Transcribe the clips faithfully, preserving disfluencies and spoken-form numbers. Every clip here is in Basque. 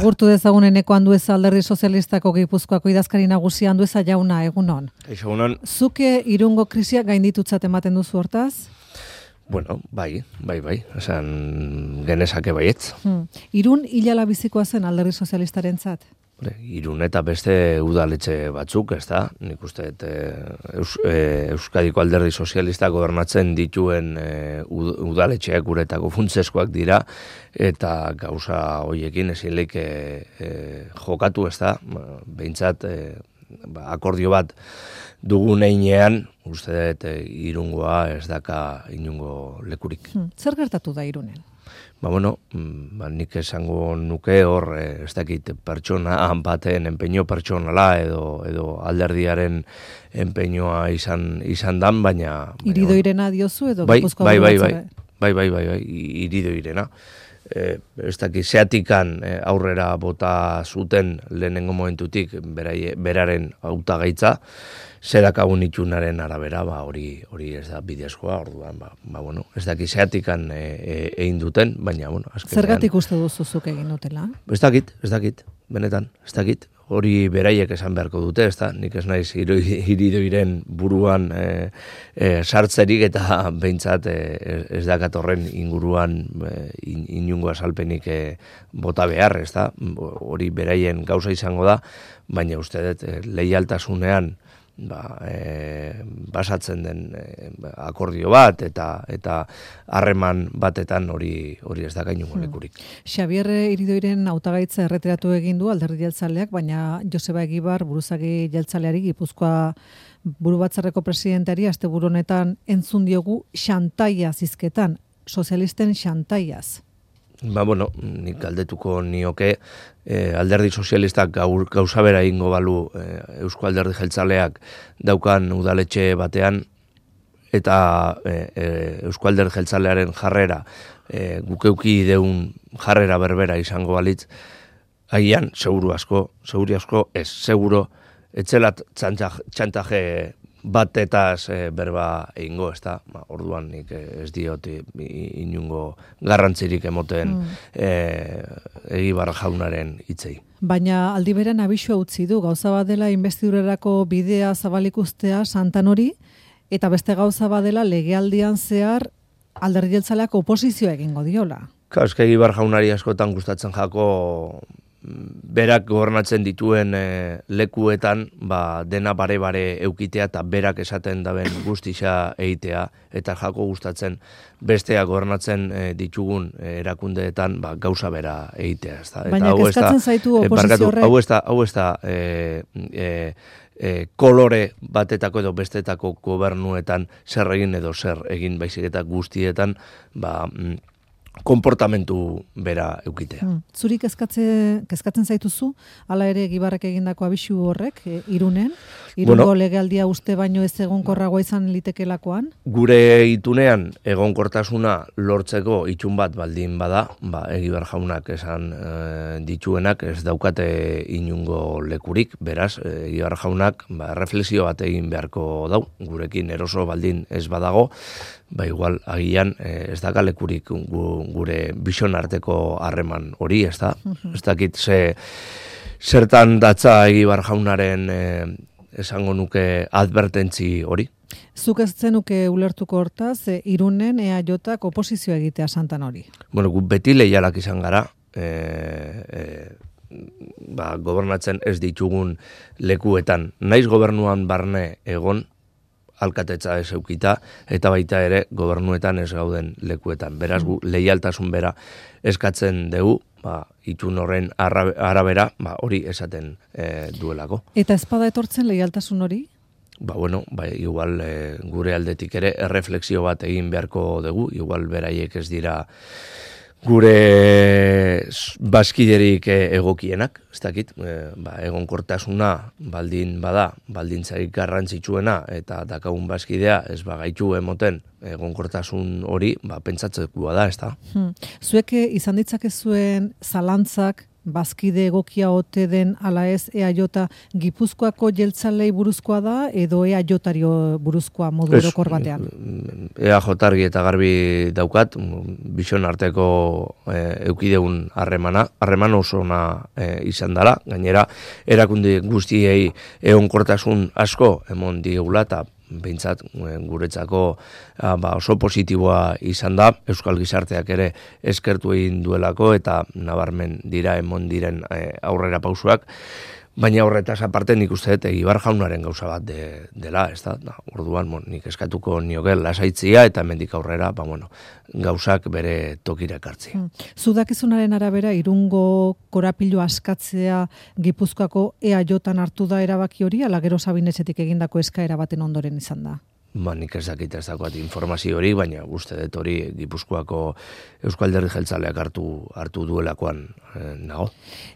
Gurtu dezagun eneko Andueza Alderdi Sozialistako Gipuzkoako idazkari nagusia Andueza jauna, egunon. Egunon. Zuke Irungo krisia gainditutzat ematen duzu hortaz? Bueno, bai, bai, bai, esan genezake baietz. Hmm. Irun hilala bizikoa zen Alderdi Sozialistarentzat? Irun eta beste udaletxe batzuk, ez da? Nik uste, e, Eus, e, Euskadiko Alderdi Sozialista gobernatzen dituen e, udaletxeak uretako funtseskoak dira, eta gauza hoiekin ezin leik e, e, jokatu, ez da? Behintzat, e, ba, akordio bat dugun einean, uste dut e, Irungoa ez daka inungo lekurik. Hmm. Zer gertatu da Irunen? Ba, bueno, ba, nik esango nuke hor, eh, ez dakit pertsona baten empeño pertsonala edo edo alderdiaren empeñoa izan izan dan, baina... Iridoirena diozu edo bai, Gipuzkoa bai, bai, bai, batzara? bai, bai, bai, bai, iridoirena. Eh, ez dakit, zeatikan eh, aurrera bota zuten lehenengo momentutik berai, beraren hautagaitza, zerakagun itxunaren arabera, ba, hori hori ez da bidezkoa, orduan, ba, ba bueno, ez dakit zeatikan e, e, egin duten, baina, bueno, azkenean... Zergatik uste duzuzuk egin dutela? Ez dakit, ez dakit, benetan, ez dakit. Hori beraiek esan beharko dute, ez da, nik ez naiz iridoiren buruan e, e, sartzerik eta behintzat e, ez dakatorren inguruan e, in, inungo asalpenik e, bota behar, ez da, hori beraien gauza izango da, baina uste dut e, leialtasunean ba, e, basatzen den e, akordio bat eta eta harreman batetan hori hori ez da gainungo lekurik. Hmm. Xabier Iridoiren hautagaitza erretiratu egin du Alderdi Jeltzaleak, baina Joseba Egibar buruzagi jeltzaleari Gipuzkoa burubatzarreko presidenteari asteburu honetan entzun diogu xantaia zizketan, sozialisten xantaiaz. Ba, bueno, nik galdetuko nioke eh, alderdi sozialistak gaur, gauza bera ingo balu eh, Eusko Alderdi Jeltzaleak daukan udaletxe batean, eta eh, eh, Eusko Alderdi Jeltzalearen jarrera eh, gukeuki deun jarrera berbera izango balitz, agian, seguru asko, seguri asko, ez, seguro, etzelat txantaje batetaz e, berba egingo, ez da, ba, orduan nik ez diot inungo garrantzirik emoten mm. e, Egibar jaunaren hitzei. Baina aldi berean abisua utzi du, gauza badela inbestidurerako bidea zabalik ustea Santan hori, eta beste gauza badela legealdian zehar Alderdi Jeltzaleak oposizioa egingo diola. Claro, eske Egibar jaunari askotan gustatzen jako berak gobernatzen dituen e, lekuetan ba, dena bare-bare eukitea eta berak esaten daben guztia egitea, eta jako gustatzen besteak gobernatzen e, ditugun e, erakundeetan ba, gauza bera egitea. Ez da? Baina kezkatzen zaitu oposizio horrek? Hau ez da, hau ez da e, e, e, kolore batetako edo bestetako gobernuetan zer egin edo zer egin baizik eta guztietan ba, konportamentu bera eukitea. Hmm. Zuri kezkatze, kezkatzen zaituzu, hala ere Egibarrek egindako abisu horrek, e, Irunen? Irungo bueno, legealdia uste baino ez egonkorragoa izan litekelakoan? Gure itunean egonkortasuna lortzeko itxun bat baldin bada, ba, Egibar jaunak esan e, dituenak ez daukate inungo lekurik, beraz, Egibar jaunak ba, reflexio bat egin beharko dau, gurekin eroso baldin ez badago, ba igual agian eh, ez daka lekurik gu, gure bision arteko harreman hori, ez da? Uh-huh. Ez dakit ze, zertan datza Egibar jaunaren eh, esango nuke advertentzi hori. Zuk ez zenuke ulertuko hortaz, e, Irunen E A Jk oposizioa egitea Santan hori? Bueno, gu beti leialak izan gara, e, e, ba, gobernatzen ez ditugun lekuetan. Naiz gobernuan barne egon, alkatetza ez eukita, eta baita ere gobernuetan ez gauden lekuetan. Beraz, gu leialtasun bera eskatzen dugu, ba, itun horren arabera, ba, hori esaten e, duelako. Eta ezpada etortzen leialtasun hori? Ba, bueno, ba, igual e, gure aldetik ere erreflexio bat egin beharko dugu, igual beraiek ez dira gure bazkiderik egokienak, ez dakit, e, ba, egonkortasuna baldin bada, baldintzarik garrantzitsuena eta dakagun bazkidea ez bagaitu emoten egonkortasun hori, ba, pentsatzekoa da, ez da. Hmm. Zuek izan ditzakezuen zalantzak bazkide egokia ote den ala ez E A J Gipuzkoako jeltzalei buruzkoa da edo E A Jari buruzkoa modu orokor batean? E A J argi eta garbi daukat, bison arteko e, eukideun harremana, harreman oso ona e, izan dela, gainera erakunde guztiei egonkortasun asko emon diegula eta behintzat guretzako ba, oso positiboa izan da, Euskal Gizarteak ere eskertu egin duelako eta nabarmen dira emon diren e, aurrera pausuak, baina horretaz aparte nik uste dut Egibar jaunaren gauza bat de, dela, ez da? Orduan bon, nik eskatuko nioke lasaitzia eta hemendik aurrera ba, bueno, gauzak bere tokira ekartzi. Hmm. Zudakizunaren arabera, Irungo korapilu askatzea Gipuzkoako E A J hartu da erabaki hori, ala gero Sabinetxetik egindako eskaera baten ondoren izan da? Ba, nik ez dakit ez dagoat informazio hori, baina uste dut hori Gipuzkoako Euskal Alderdi Jeltzaleak hartu, hartu duelakoan eh, nago.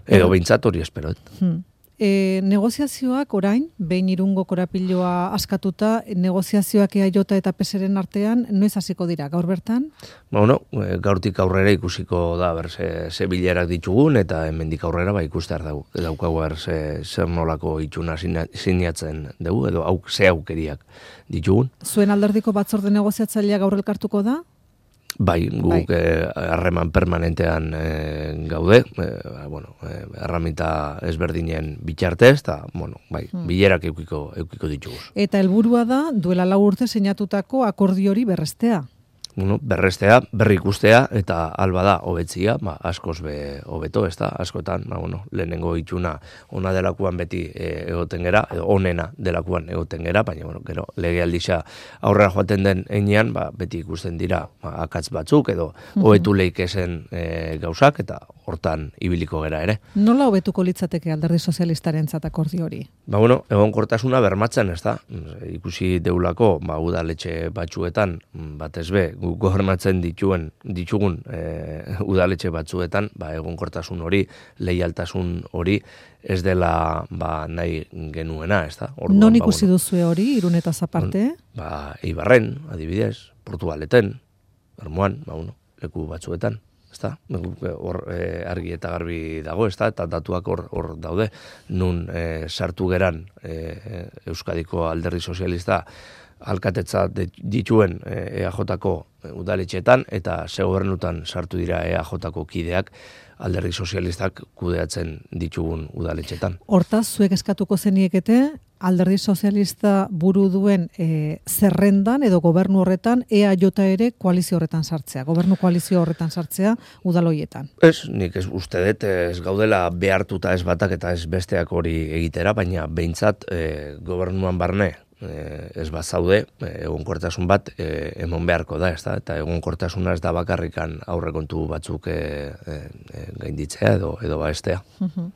Edo behintzat hori espero. Hmm. E, negoziazioak orain, behin Irungo korapiloa askatuta, negoziazioak E A J eta P S ren artean, noiz hasiko dira, gaur bertan? Ba, bueno, gaurtik aurrera ikusiko da, ber, ze, ze bilerak ditugun, eta hemendik aurrera, ba, ikustear dau, daukagu, ber, ze, zer nolako itxuna sinatzen dugu, edo auk, ze aukeriak ditugun. Zuen alderdiko batzorde negoziatzailea gaur elkartuko da? Bai, guk harreman bai. permanentean e, gaude, e, bueno, e, erramita ezberdinen bitxartez, eta, bueno, bai, hmm. bilerak eukiko, eukiko ditugu. Eta helburua da, duela lau urte sinatutako akordio hori berrestea? Bueno, berrestea, berri ikustea, eta alba da, hobetzia, ba, askoz be hobeto, ez da, askotan, ba, bueno, lehenengo itxuna ona delakuan beti e, egoten gera, edo onena delakuan egoten gera, baina, bueno, gero, legealdixa aurrera joaten den enean, ba, beti ikusten dira ba, akatz batzuk, edo hobetu leik esen e, gauzak, eta hortan ibiliko gera ere. Nola hobetuko litzateke Alderdi Sozialistaren akordio hori? Ba, bueno, egonkortasuna bermatzen, ez da, ikusi deulako, ba, udaletxe batzuetan, batez be, gobernatzen dituen ditugun e, udaletxe batzuetan, ba, egonkortasun hori, leialtasun hori ez dela ba, nahi genuena, ez da? Orduan, non ikusi ba, bueno, duzue hori, Irunetaz aparte? Ba, Eibarren, adibidez, Portugaleten, Bermuan, ba, bueno, leku batzuetan, ez da? Hor e, argi eta garbi dago, ez da? Eta datuak hor, hor daude, nun e, sartu geran e, Euskadiko Alderdi Sozialista alkatetza dituen E A Jko udaletxeetan eta ze gobernutan sartu dira E A Jko kideak Alderdi Sozialistak kudeatzen ditugun udaletxetan. Hortaz, zuek eskatuko zeniekete Alderdi Sozialista buru duen e, zerrendan edo gobernu horretan E A J ere koalizio horretan sartzea, gobernu koalizio horretan sartzea udaloietan. Ez, nik ez uste dut ez gaudela behartuta ez batak eta ez besteak hori egitera, baina behintzat e, gobernuan barne ez bat zaude, egonkortasun bat e, emon beharko da, ez da? Eta egonkortasuna ez da bakarrikan aurrekontu batzuk e, e, gainditzea edo edo baestea. Uh-huh.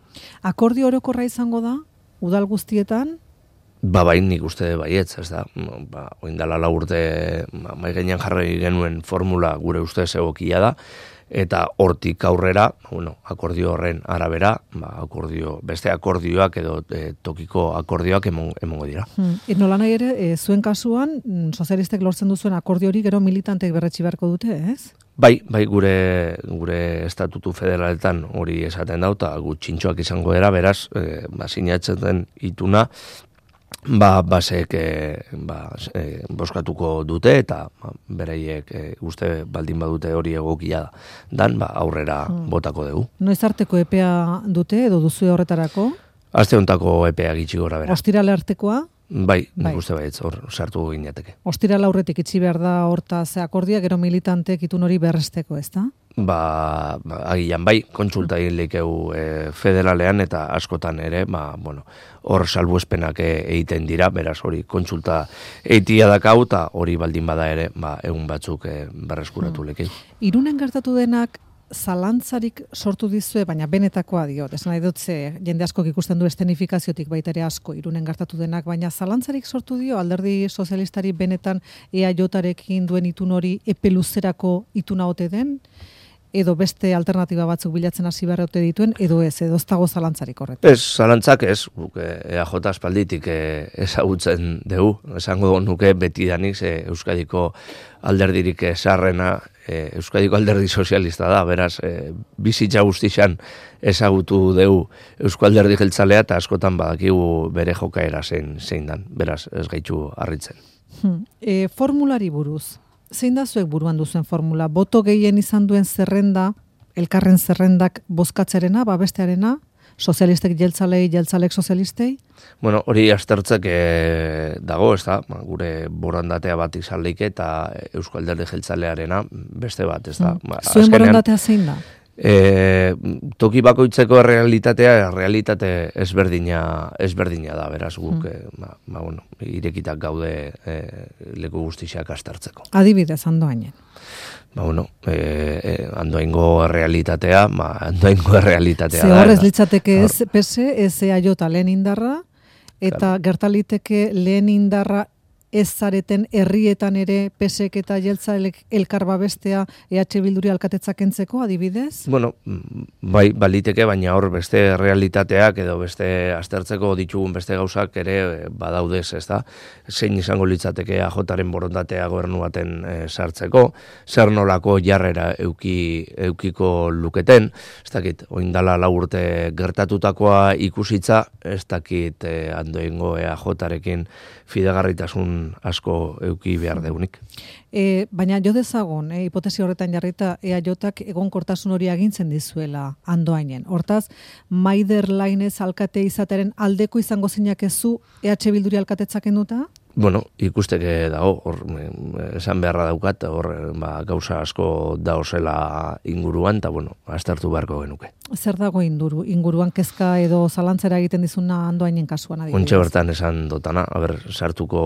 Akordio orokorra izango da, udal guztietan? Ba, bain nik uste baietz, ez da? Ba, oindala lau urte mai gainean jarri genuen formula gure ustez egokia da, eta hortik aurrera, bueno, akordio horren arabera, ba, akordio, beste akordioak edo e, tokiko akordioak emon, emongo dira. Hmm. Et nola nahi ere, e, zuen kasuan, sozialistek lortzen duzuen akordio hori gero militantek berretsi beharko dute, ez? Bai, bai gure gure estatutu federaletan hori esaten dau, eta gutxintxoak izango dira, beraz, e, ba, sinatzen den ituna, ba, basek e, ba, e, boskatuko dute eta ba, beraiek e, uste baldin badute hori egokia dan, ba, aurrera hmm. botako dugu. Noiz arteko epea dute edo duzu horretarako? Aste hontako epea gitxi gora bera. Ostirale artekoa? Bai, bai. Nik uste baietz hor sartu ginateke. Ostirale aurretik itxi behar da horta ze akordia, gero militantek itun hori berresteko, ez da? Ba, ba, agian bai, kontsulta egin leikeu e, federalean eta askotan ere, ba, bueno, hor salbuespenak egiten dira, beraz hori kontsulta eitia dakau eta hori baldin bada ere, ba, egun batzuk e, berreskuratu hmm. lekeu. Irunen gertatu denak zalantzarik sortu dizue, baina benetakoa diot, esan nahi dut ze, jende askok ikusten du estenifikaziotik baita ere asko Irunen gertatu denak, baina zalantzarik sortu dio Alderdi Sozialistari benetan E A Jarekin duen itun hori epe luzerako ituna ote den, edo beste alternatiba batzuk bilatzen hasi beharrote dituen, edo ez, edo ez dago zalantzarik horret. Ez, zalantzak ez, guk E A J aspalditik e, ezagutzen dugu, esango nuke betidanik ze Euskadiko alderdirik sarrena, e, Euskadiko alderdi sozialista da, beraz, e, bizitza guztixan ezagutu dugu Eusko alderdi jeltzalea eta askotan badakigu bere jokaera zein, zein dan, beraz, ez gaitu harritzen. Hmm. E, formulari buruz. Zein da zuek buruan duzuen formula? Boto gehien izan duen zerrenda, elkarren zerrendak bozkatzerena, babestearena, sozialistek jeltzalei, jeltzalek sozialistei? Bueno, hori aztertzek e, dago, ez da, ba, gure borondatea bat izan leike eta Eusko alderdi jeltzalearena beste bat, ez da. Hmm. Ba, Zuen borondatea zein da? E, toki bakoitzeko realitatea, realitate ezberdina, ezberdina da, beraz guk, mm. e, ba, ba, bueno, irekitak gaude e, leku guztiak aztertzeko. Adibidez, Andoainen. Ba, bueno, e, e, Andoaingo realitatea, ba, Andoaingo realitatea Ze da. horrez litzateke ez P S, ez E A J lehen indarra, eta claro, gertaliteke lehen indarra ez zareten herrietan ere P S ek eta jeltzalek elkar babestea E H Bilduri alkatetzak kentzeko, adibidez? Bueno, bai, baliteke, baina hor beste realitateak edo beste aztertzeko ditugun beste gauzak ere badaudez, ez da? Zein izango litzateke A Jaren borondatea gobernu baten e, sartzeko, zer nolako jarrera euki, eukiko luketen, ez dakit, oindala lau urte gertatutakoa ikusitza, ez dakit e, Andoaingo E A Jarekin fidegarritasun asko euki behar deunik. E, baina jo dezagon, e, hipotesi horretan jarrita E A Jak egonkortasun hori agintzen dizuela Andoainen. Hortaz, Maider Lainez alkate izateren aldeko izango zinakezu E H Bilduri alkatetzak enduta? Bueno, ikusteke dago, hor, esan beharra daukat, hor, ba, gauza asko daozela inguruan, eta, bueno, aztertu beharko genuke. Zer dago induru, inguruan kezka edo zalantzera egiten dizuna Andoainen kasuan adibidez? Ontxe bertan esan dotana, haber, sartuko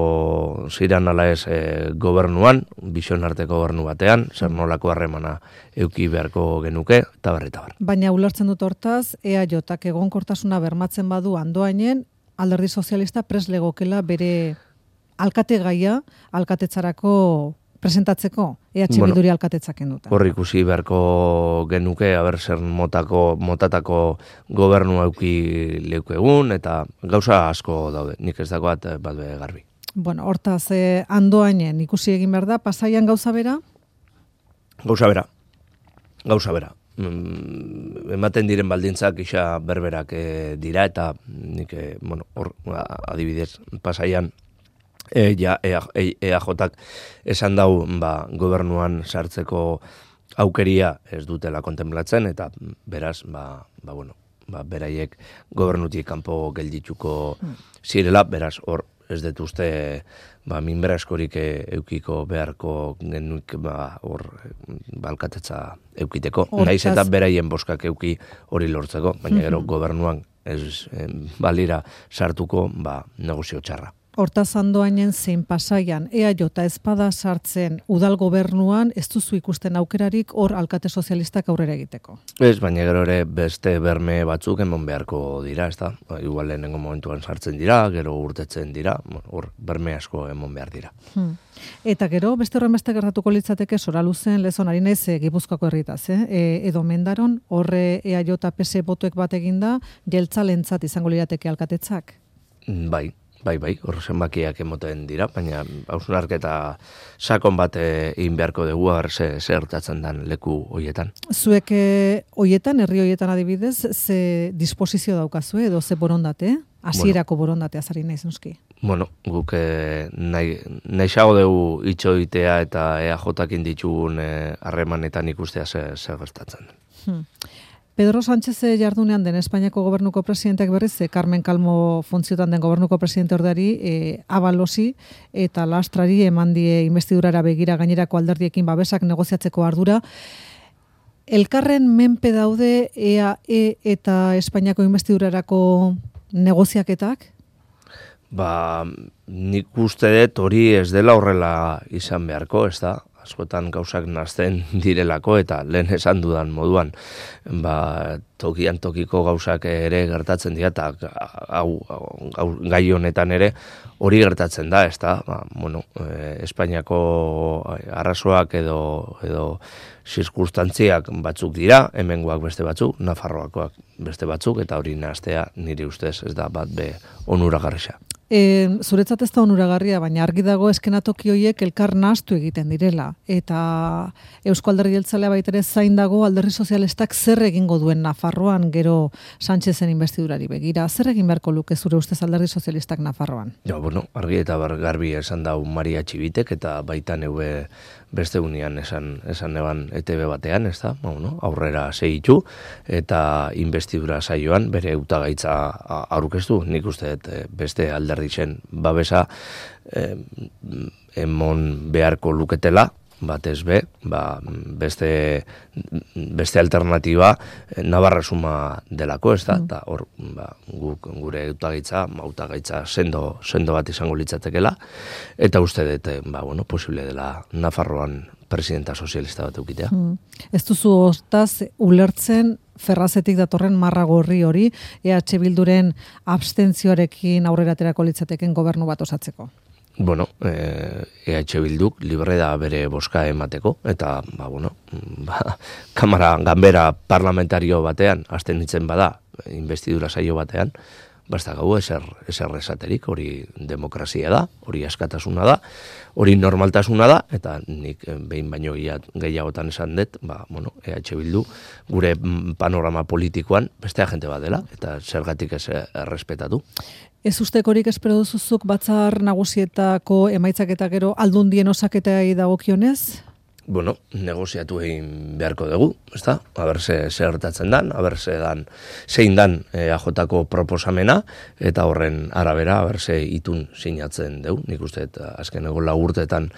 ziran ala ez e, gobernuan, bizion arteko gobernu batean, zer nolako harremana euki beharko genuke, eta bar, eta bar. Baina ulertzen dut hortaz, E A Jak egonkortasuna bermatzen badu Andoainen, alderdi sozialista pres legokela bere alkate gaia alkatetzarako presentatzeko E H Bilduri bueno, alkatetzak enduta. Hor ikusi beharko genuke, haber zer motako, motatako gobernu auki leuke egun, eta gauza asko daude, nik ez dagoat bat be garbi. Bueno, hortaz, eh, Andoainen ikusi egin behar da, Pasaian gauza bera? Gauza bera, gauza bera. Mm, ematen diren baldintzak isa berberak e, dira, eta nik, e, bueno, hor, adibidez, Pasaian, E, ja, E A Jak esan dau ba, gobernuan sartzeko aukeria ez dutela kontemplatzen, eta beraz, ba, ba, bueno, ba, beraiek gobernutik kanpo geldituko zirela, beraz, hor ez dut uste ba, minbera eskorik eukiko beharko genuik ba, hor balkatetza eukiteko. Hortaz... Naiz eta beraien boskak euki hori lortzeko, baina gero gobernuan ez eh, balira sartuko ba, negozio txarra. Hortaz Andoainen zein Pasaian E A J ezpada sartzen udal gobernuan ez duzu ikusten aukerarik hor alkate sozialistak aurrera egiteko. Ez, baina gero ere beste berme batzuk emon beharko dira, ez da? Igual lehenengo momentuan sartzen dira, gero urtetzen dira, hor berme asko emon behar dira. Hmm. Eta gero, beste horren beste gertatuko litzateke Soraluzen lezon ari naiz e, Gipuzkoako herritaz, eh? E, edo Mendaron, horre E A J P S botoek bat eginda, jeltzalentzat izango lirateke alkatetzak? Bai. Bai, bai, hor zenbakiak emoten dira, baina hausnarketa sakon bat egin beharko dugu hor ze zertatzen den leku hoietan. Zuek hoietan, herri hoietan adibidez, ze disposizio daukazue edo ze borondate? Hasierako bueno, borondatea zari naiz noski. Bueno, guk eh, nahi, nahiago dugu itxoitea eta E A Jakin ditugun harremanetan eh, ikustea zer gertatzen den. Hmm. Pedro Sánchez jardunean den Espainiako gobernuko presidenteak berriz, Carmen Calmo funtziotan den gobernuko presidente ordari, e, abalosi eta lastrari eman die investidurara begira gainerako alderdiekin babesak negoziatzeko ardura. Elkarren menpe daude E A E eta Espainiako investidurarako negoziaketak? Ba, nik uste dut hori ez dela horrela izan beharko, ez da? askotan gauzak nazten direlako, eta lehen esan dudan moduan, ba, tokian tokiko gauzak ere gertatzen dira, eta hau, hau, gai honetan ere hori gertatzen da, ez da, ba, bueno, e, Espainiako arrazoak edo, edo zirkunstantziak batzuk dira, hemengoak beste batzuk, Nafarroakoak beste batzuk, eta hori nahastea nire ustez ez da bat be onuragarria. E, zuretzat ez da onuragarria, baina argi dago eskenatoki horiek elkar nahastu egiten direla. Eta Eusko Alderdi Jeltzalea baita ere zain dago Alderdi Sozialistak zer egingo duen Nafarroan gero Sánchezen investidurari begira. Zer egin beharko luke zure ustez Alderdi Sozialistak Nafarroan? Ja, bueno, argi eta garbi esan dau Maria Txibitek, eta baita neue beste unian esan, esan eban E T B batean, ez da, bueno, aurrera segitu, eta investidura saioan bere hautagaitza aurkeztu, nik uste beste alderdi zen babesa eh, emon beharko luketela, batez be, ba, beste, beste alternatiba Navarra suma delako, ez da, eta hor, ba, guk gure hautagaitza, hautagaitza sendo, sendo bat izango litzatekela, eta uste dut, ba, bueno, posible dela Nafarroan presidenta sozialista bat eukitea. Hmm. Ez duzu ostaz ulertzen Ferrazetik datorren marra gorri hori E H Bilduren abstentzioarekin aurrera aterako litzateken gobernu bat osatzeko? Bueno, eh, E H Bilduk libre da bere boska emateko, eta, ba, bueno, ba, kamara, ganbera parlamentario batean, hasten ditzen bada, investidura saio batean, basta gau eser, eser esaterik, hori demokrazia da, hori askatasuna da, hori normaltasuna da, eta nik behin baino gehiagotan esan dut, ba, bueno, E H Bildu gure panorama politikoan beste agente bat dela, eta zergatik ez errespetatu. Ez ustekorik espero duzuzuk batzar nagusietako emaitzak eta gero aldundien osaketai dagokionez? Bueno, negoziatu egin beharko dugu, ezta? Aber ze gertatzen dan, aber ze dan, zein dan E A Jko proposamena, eta horren arabera, aber ze itun sinatzen dugu. Nik uste, azkeneko lau urteetan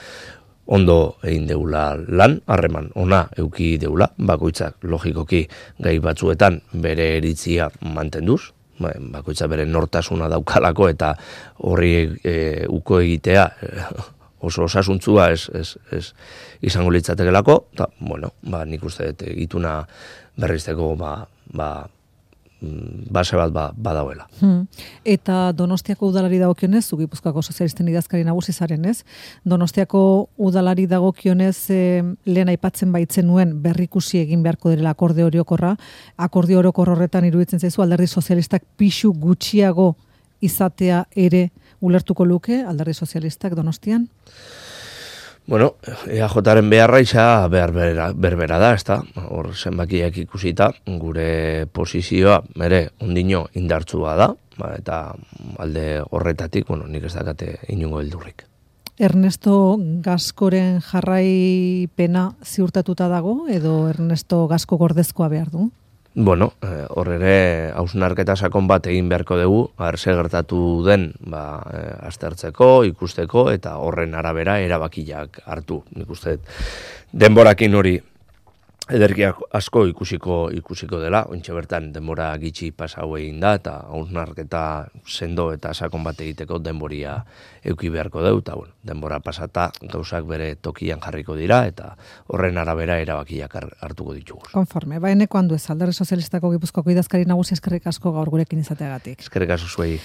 ondo egin deula lan, harreman ona euki deula, bakoitzak logikoki gai batzuetan bere eritzia mantenduz, bakoitza bere nortasuna daukalako, eta horri e, uko egitea oso osasuntzua ez, ez, ez izango litzatekelako, eta, bueno, ba, nik uste dut ituna berrizteko ba, ba, base bat ba, badauela. Hmm. Eta Donostiako udalari dagokionez, zu Gipuzkoako sozialisten idazkari nagusi zaren, ez? Donostiako udalari dagokionez e, lehen aipatzen baitzen nuen berrikusi egin beharko direla akorde orokorra, akorde orokor horretan iruditzen zaizu Alderdi Sozialistak pixu gutxiago izatea ere ulertuko luke Alderdi Sozialistak Donostian? Bueno, E A Jaren beharra isa behar berbera, berbera da, ezta? Hor zenbakiak ikusita, gure posizioa mere ondino indartsua da, ba, eta alde horretatik, bueno, nik ez dakate inungo heldurrik. Ernesto Gaskoren jarraipena ziurtatuta dago, edo Ernesto Gasko gordezkoa behar du? Bueno, hor eh, ere hausnarketa sakon bat egin beharko dugu, arze gertatu den ba, eh, aztertzeko, ikusteko, eta horren arabera erabakiak hartu. Nik uste denborakin hori ederkiak asko ikusiko ikusiko dela, ointxe bertan denbora gitxi pasau egin da, eta hausnarketa sendo eta sakon bat egiteko denboria euki beharko deu, eta bueno, denbora pasata gauzak bere tokian jarriko dira, eta horren arabera erabakiak hartuko ditugu. Konforme, ba eneko handu ez, Alderdi Sozialistako Gipuzkoako idazkari nagusi eskerrik asko gaur gurekin izateagatik. Eskerrik asko zuei.